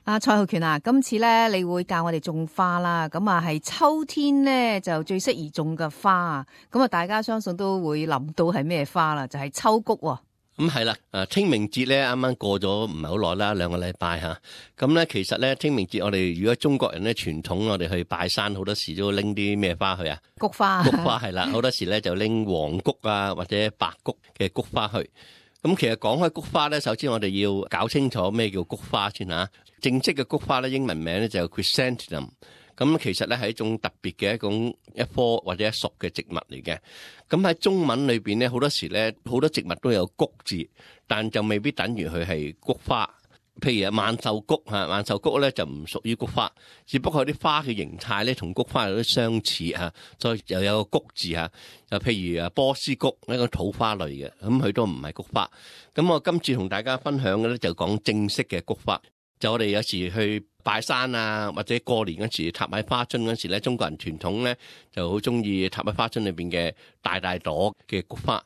蔡浩權啊，今次咧你會教我哋種花啦，咁啊係秋天咧就最適宜種嘅花啊，咁啊大家相信都會諗到係咩花啦，就係秋菊喎。咁係啦，清明節咧啱啱過咗唔係好耐啦，2個禮拜吓。咁咧其實咧清明節我哋如果中國人咧傳統，我哋去拜山好多時都拎啲咩花去啊？菊花。菊花係啦，好多時咧就拎黃菊啊或者白菊嘅菊花去。咁其實講開菊花咧，首先我哋要搞清楚咩叫菊花先吓。正式嘅菊花咧，英文名咧就 Chrysanthemum。咁其實咧係一種特別嘅一棵或者一屬嘅植物嚟嘅。咁喺中文裏邊咧，好多時咧好多植物都有菊字，但就未必等於佢係菊花。譬如萬壽菊嚇，萬壽菊咧就唔屬於菊花，只不過啲花嘅形態咧同菊花有啲相似嚇，所以又有個菊字嚇。又譬如波斯菊呢個土花類嘅，咁佢都唔係菊花。咁我今次同大家分享嘅咧就講正式嘅菊花。就我哋有時去拜山啊，或者過年嗰時插喺花樽嗰時咧，中國人傳統咧就好中意插喺花樽裏邊嘅大大朵嘅菊花。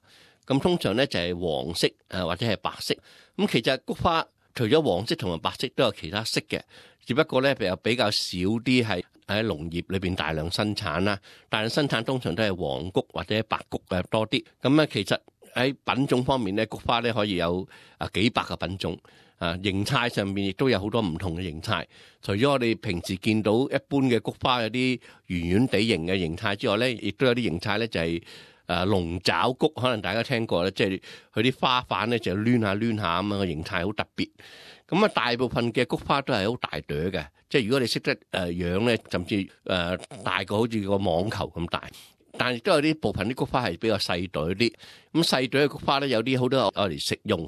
咁通常咧就係黃色或者係白色。咁其實菊花除咗黃色同埋白色都有其他色嘅，只不過咧比較少啲係喺農業裏邊大量生產啦。大量生產通常都係黃菊或者白菊嘅多啲。咁咧其實喺品種方面咧，菊花咧可以有幾百個品種。形態上面亦都有好多唔同嘅形態。除咗我哋平時見到一般嘅菊花有啲圓圓地形嘅形態之外咧，亦都有啲形態咧就係龍爪菊，可能大家聽過咧，即係佢啲花瓣咧就攣下攣下咁樣嘅形態好特別。咁大部分嘅菊花都係好大朵嘅，即係如果你識得養咧，甚至大過好似個網球咁大。但係亦都有啲部分啲菊花係比較細朵啲，咁細朵嘅菊花咧有啲好多我嚟食用，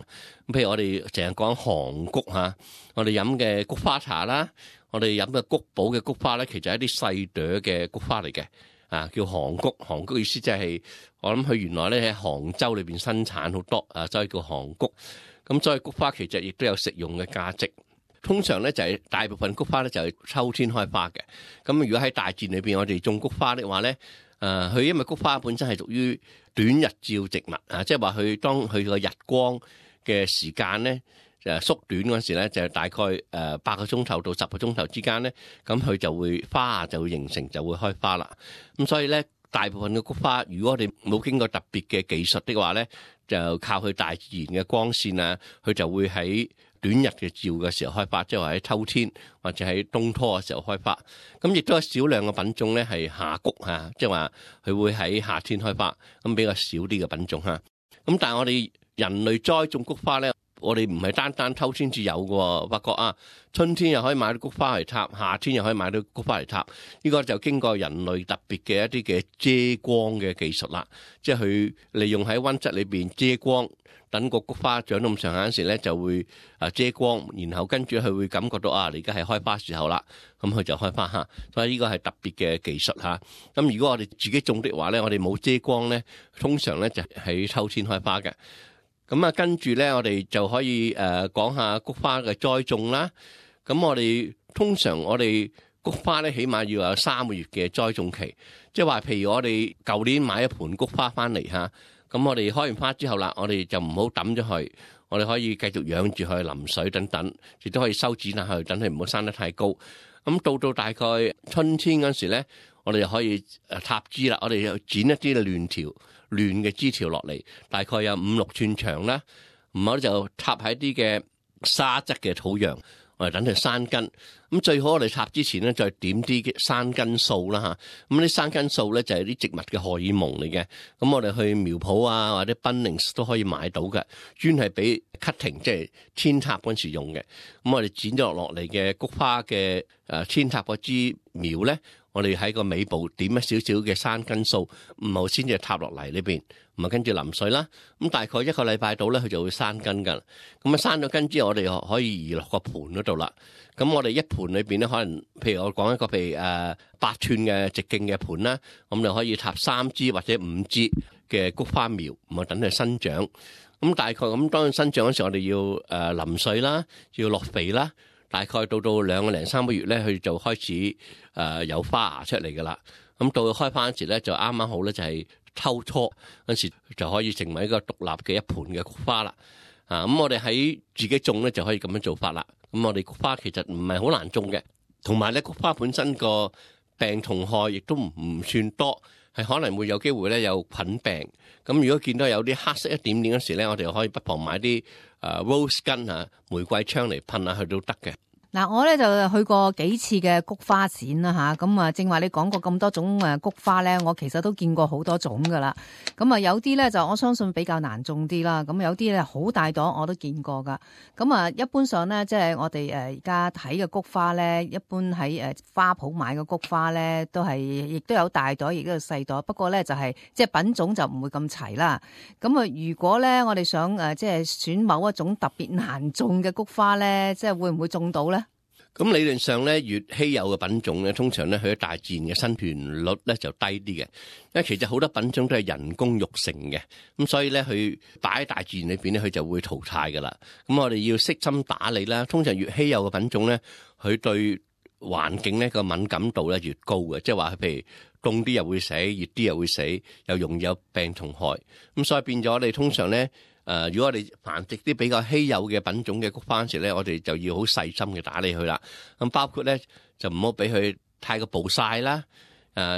咁譬如我哋成日講韓菊嚇，我哋飲嘅菊花茶啦，我哋飲嘅菊寶嘅菊花咧，其實係一啲細朵嘅菊花嚟嘅，叫韓菊。韓菊意思即係我諗佢原來咧喺杭州裏邊生產好多，所以叫韓菊。咁所以菊花其實亦都有食用嘅價值。通常咧就係大部分菊花咧就係秋天開花嘅。咁如果喺大自然裏邊我哋種菊花的話咧，佢因為菊花本身係屬於短日照植物即係話佢當佢個日光嘅時間咧縮短嗰時咧，就係大概8個鐘頭到10個鐘頭之間咧，咁佢就會花就會形成就會開花啦。咁所以咧，大部分嘅菊花，如果我哋冇經過特別嘅技術的話咧，就靠佢大自然嘅光線啊，佢就會喺短日嘅照嘅時候開花，即係話喺秋天或者喺冬初嘅時候開花。咁亦都有少量嘅品種咧係夏菊即係話佢會喺夏天開花，咁比較少啲嘅品種咁但係我哋人類栽種菊花咧，我哋唔係單單秋天至有嘅，發覺春天又可以買到菊花嚟插，夏天又可以買到菊花嚟插。呢個就經過人類特別嘅一啲嘅遮光嘅技術啦，即係佢利用喺溫室裏邊遮光。等個菊花長到咁上下嗰時咧，就會遮光，然後跟住佢會感覺到你而家係開花時候啦，咁佢就開花所以呢個係特別嘅技術咁如果我哋自己種的話咧，我哋冇遮光咧，通常咧就喺秋天開花嘅。咁跟住咧，我哋就可以講下菊花嘅栽種啦。咁我哋通常我哋菊花咧，起碼要有3個月嘅栽種期，即係話譬如我哋舊年買一盆菊花翻嚟咁我哋開完花之後啦，我哋就唔好抌咗佢，我哋可以繼續養住佢，淋水等等，亦都可以修剪下佢，等佢唔好生得太高。咁到大概春天嗰時咧，我哋就可以插枝啦，我哋就剪一啲亂嘅枝條落嚟，大概有5-6寸長啦，唔好就插喺啲嘅沙質嘅土壤。我哋等佢生根，咁最好我哋插之前咧，再點啲生根素啦咁啲生根素咧就係啲植物嘅荷爾蒙嚟嘅，咁我哋去苗圃或者 Bunnings 都可以買到嘅，專係俾 cutting 即係扦插嗰時用嘅。咁我哋剪咗落嚟嘅菊花嘅扦插嗰支苗咧，我哋喺個尾部點一少少嘅生根素，唔好先至插落嚟呢邊，咁跟住淋水啦。咁大概1個禮拜到咧，佢就會生根噶。咁生咗根之後，我哋可以移落個盤嗰度啦。咁我哋一盤裏邊咧，可能譬如我講一個譬如8寸嘅直徑嘅盤啦，咁就可以插3支或者5支嘅菊花苗，咁等佢生長。咁大概咁當佢生長嗰時候，我哋要淋水啦，要落肥啦。大概到2個零3個月咧，佢就開始有花芽出嚟噶啦。咁到佢開花嗰時咧，就啱啱好咧，就係秋初嗰時就可以成為一個獨立嘅一盆嘅菊花啦。咁我哋喺自己種咧就可以咁樣做法啦。咁我哋菊花其實唔係好難種嘅，同埋咧菊花本身個病蟲害亦都唔算多，係可能會有機會咧有菌病。咁如果見到有啲黑色一點點嗰時咧，我哋可以不妨買啲rose 根啊玫瑰槍嚟噴下去都得嘅。嗱，我咧就去過幾次嘅菊花展啦吓，咁啊正話你講過咁多種菊花咧，我其實都見過好多種噶啦。咁啊有啲咧就我相信比較難種啲啦，咁有啲咧好大朵我都見過噶。咁啊一般上咧，即係我哋而家睇嘅菊花咧，一般喺花圃買嘅菊花咧，都係亦都有大朵，亦都有細朵。不過咧就係即係品種就唔會咁齊啦。咁啊如果咧我哋想即係選某一種特別難種嘅菊花咧，即係會唔會種到咧？咁理論上咧，越稀有嘅品種咧，通常咧佢喺大自然嘅生存率咧就低啲嘅，因為其實好多品種都係人工育成嘅，咁所以咧佢擺喺大自然裏邊咧，佢就會淘汰噶啦。咁我哋要悉心打理啦。通常越稀有嘅品種咧，佢對環境咧個敏感度咧越高嘅，即係話譬如凍啲又會死，熱啲又會死，又容易有病蟲害。咁所以變咗我哋通常咧。如果我哋繁殖啲比較稀有嘅品種嘅菊花時咧，我哋就要好細心嘅打理佢啦。咁包括咧就唔好俾佢太過暴曬啦，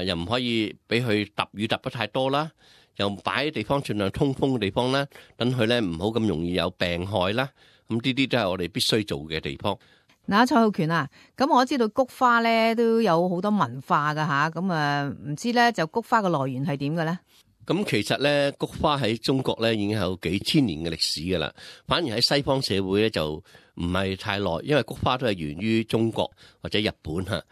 又唔可以俾佢揼雨揼得太多啦，又擺喺地方盡量通風嘅地方啦，等佢咧唔好咁容易有病害啦。咁呢啲都係我哋必須做嘅地方。嗱，蔡浩權啊，咁我知道菊花咧都有好多文化噶吓，咁唔知咧就菊花嘅來源係點嘅咧？咁其實咧，菊花喺中國咧已經有幾千年嘅歷史㗎啦。反而喺西方社會咧就唔係太耐，因為菊花都係源於中國或者日本嚇。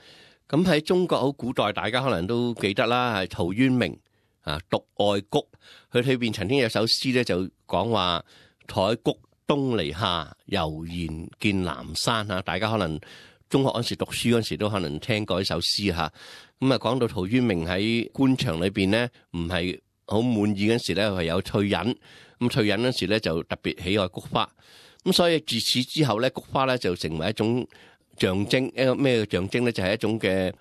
咁喺中國好古代，大家可能都記得啦，係陶淵明啊，獨愛菊。佢裏邊曾經有首詩咧，就講話採菊東籬下，悠然見南山嚇。大家可能中學嗰時讀書嗰時都可能聽過呢首詩嚇。咁啊，講到陶淵明喺官場裏邊咧，唔係好滿意嗰時咧，係有退隱。咁退隱嗰時咧，就特別喜愛菊花。咁所以自此之後咧，菊花咧就成為一種象徵。一個咩嘅象徵咧？就係一種嘅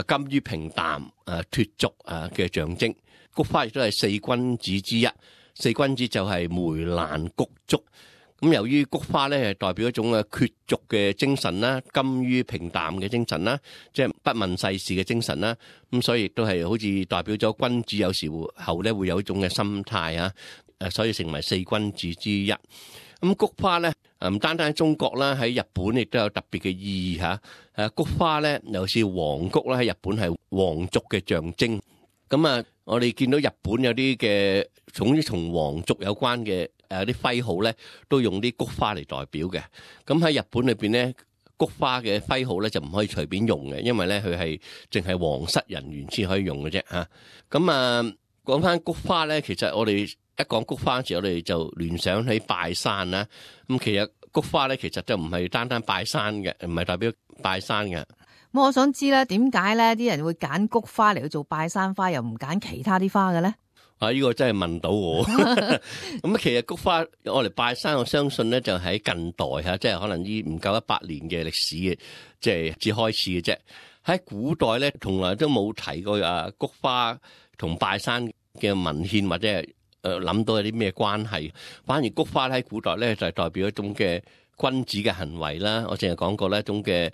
甘於平淡、脫俗嘅象徵。菊花亦都係四君子之一。四君子就係梅蘭菊竹。咁由於菊花咧係代表一種嘅脫俗嘅精神啦，甘於平淡嘅精神啦，即係不問世事嘅精神啦。咁所以亦都係好似代表咗君子有時候咧會有一種嘅心態啊。所以成為四君子之一。咁菊花咧唔單單喺中國啦，喺日本亦都有特別嘅意義嚇。菊花咧尤其是黃菊啦，喺日本係皇族嘅象徵。咁啊，我哋見到日本有啲嘅總之同皇族有關嘅啲徽號咧，都用啲菊花嚟代表嘅。咁喺日本裏邊咧，菊花嘅徽號咧就唔可以隨便用嘅，因為咧佢係淨係皇室人員先可以用嘅啫嚇。咁啊，講翻菊花咧，其實我哋一講菊花時，我哋就聯想起拜山啦。咁其實菊花咧，其實就唔係單單拜山嘅，唔係代表拜山嘅。咁我想知咧，點解咧啲人會揀菊花嚟去做拜山花，又唔揀其他啲花嘅咧？呢個真係問到我。咁其實菊花我嚟拜山，我相信咧就喺近代嚇，即係可能呢唔夠100年嘅歷史嘅，即係至開始嘅啫。喺古代咧，從來都冇提過菊花同拜山嘅文獻，或者係諗到有啲咩關係。反而菊花喺古代咧就係代表一種嘅君子嘅行為啦。我淨係講過呢一種嘅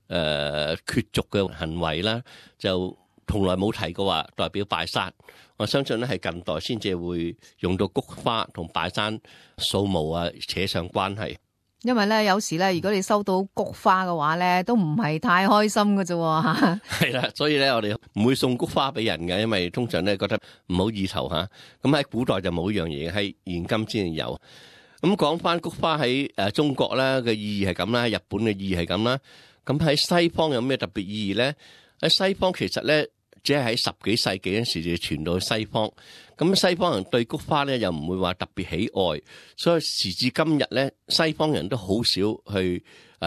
脫俗嘅行為啦，就從來冇提過話代表拜山。我相信咧係近代先至會用到菊花同拜山掃墓扯上關係。因為咧有時咧，如果你收到菊花嘅話咧，都唔係太開心㗎啫嚇。係啦，所以咧我哋唔會送菊花俾人嘅，因為通常咧覺得唔好意頭嚇。咁喺古代就冇呢樣嘢，喺現今先有。咁講翻菊花喺中國咧嘅意義係咁啦，喺日本嘅意義係咁啦。咁喺西方有咩特別意義咧？喺西方其實咧，只係喺10幾世紀嗰時就傳到去西方。咁西方人對菊花咧又唔會話特別喜愛，所以時至今日咧，西方人都好少去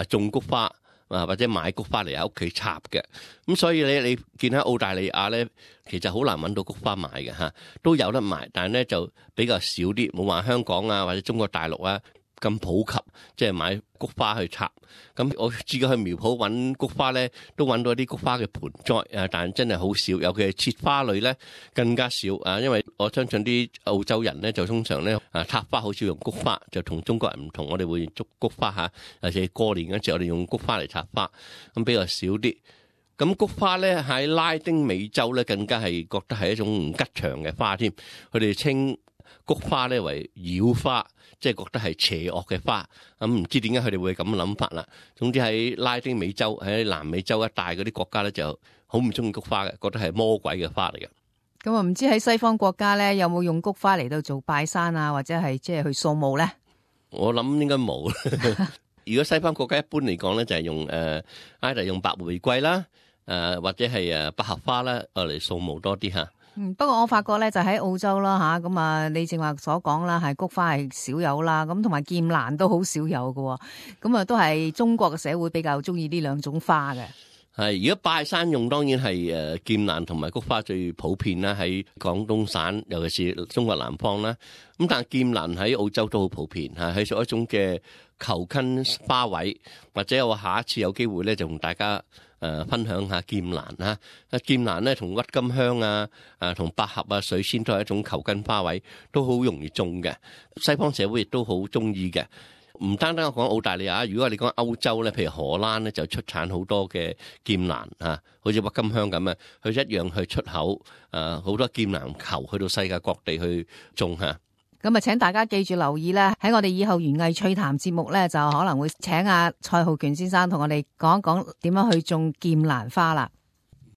種菊花或者買菊花嚟喺屋企插嘅。咁所以你見喺澳大利亞咧，其實好難揾到菊花買嘅嚇，都有得賣，但係咧就比較少啲，冇話香港或者中國大陸咁普及，即係買菊花去插。咁我自己去苗圃揾菊花咧，都揾到一啲菊花嘅盆栽，但真係好少，尤其係切花類咧更加少啊！因為我相信啲澳洲人咧就通常咧插花好少用菊花，就同中國人唔同，我哋會用菊花嚇，尤其係過年嗰時我哋用菊花嚟插花，咁比較少啲。咁菊花咧喺拉丁美洲咧更加係覺得係一種唔吉祥嘅花添，佢哋稱菊花咧為妖花，即係覺得係邪惡嘅花。咁唔知點解佢哋會咁諗法啦。總之喺拉丁美洲、喺南美洲一帶嗰啲國家咧就好唔中意菊花嘅，覺得係魔鬼嘅花嚟嘅。咁啊，唔知喺西方國家咧有冇用菊花嚟到做拜山啊，或者係即係去掃墓咧？我諗應該冇。如果西方國家一般嚟講咧，就係用either用白玫瑰啦。或者係百合花啦，嚟掃墓多啲吓。不過我發覺咧就喺澳洲啦吓，咁啊你正話所講啦，係菊花係少有啦，咁同埋劍蘭都好少有嘅，咁啊都係中國嘅社會比較中意呢兩種花嘅。係，如果拜山用當然係劍蘭同埋菊花最普遍啦，喺廣東省尤其是中國南方啦。咁但係劍蘭喺澳洲都好普遍吓，係屬一種嘅球根花卉，或者我下一次有機會咧就同大家分享下劍蘭啦。劍蘭咧同鬱金香啊、同百合啊、水仙都係一種球根花卉，都好容易種嘅。西方社會亦都好中意嘅。唔單單我講澳大利亞，如果你講歐洲咧，譬如荷蘭咧就出產好多嘅劍蘭啊，好似鬱金香咁啊，佢一樣去出口好多劍蘭球去到世界各地去種吓。咁啊，請大家記住留意咧，喺我哋以後園藝趣談節目咧，就可能會請阿蔡浩權先生同我哋講一講點樣去種劍蘭花啦。